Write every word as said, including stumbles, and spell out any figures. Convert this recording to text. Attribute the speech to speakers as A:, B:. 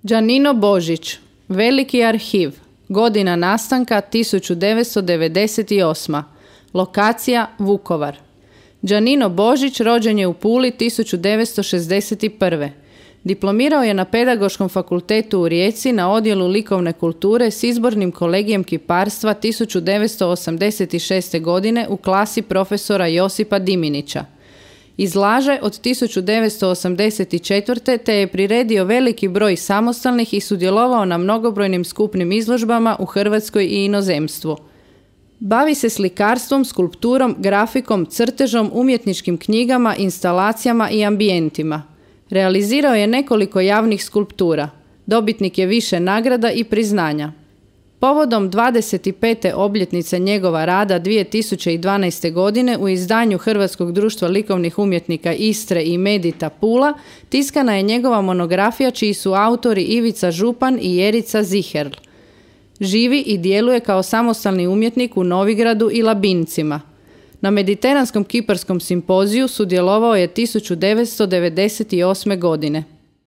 A: Đanino Božić, Veliki arhiv, godina nastanka tisuću devetsto devedeset osma. Lokacija Vukovar. Đanino Božić rođen je u Puli tisuću devetsto šezdeset prve. Diplomirao je na Pedagoškom fakultetu u Rijeci na odjelu likovne kulture s izbornim kolegijem kiparstva tisuću devetsto osamdeset šeste. godine u klasi profesora Josipa Diminića. Izlaže od tisuću devetsto osamdeset četvrte. te je priredio veliki broj samostalnih i sudjelovao na mnogobrojnim skupnim izložbama u Hrvatskoj i inozemstvu. Bavi se slikarstvom, skulpturom, grafikom, crtežom, umjetničkim knjigama, instalacijama i ambijentima. Realizirao je nekoliko javnih skulptura. Dobitnik je više nagrada i priznanja. Povodom dvadeset pete obljetnice njegova rada dvije tisuće dvanaeste. godine u izdanju Hrvatskog društva likovnih umjetnika Istre i Medita Pula tiskana je njegova monografija čiji su autori Ivica Župan i Jerica Ziherl. Živi i djeluje kao samostalni umjetnik u Novigradu i Labincima. Na Mediteranskom kiparskom simpoziju sudjelovao je tisuću devetsto devedeset osme. godine.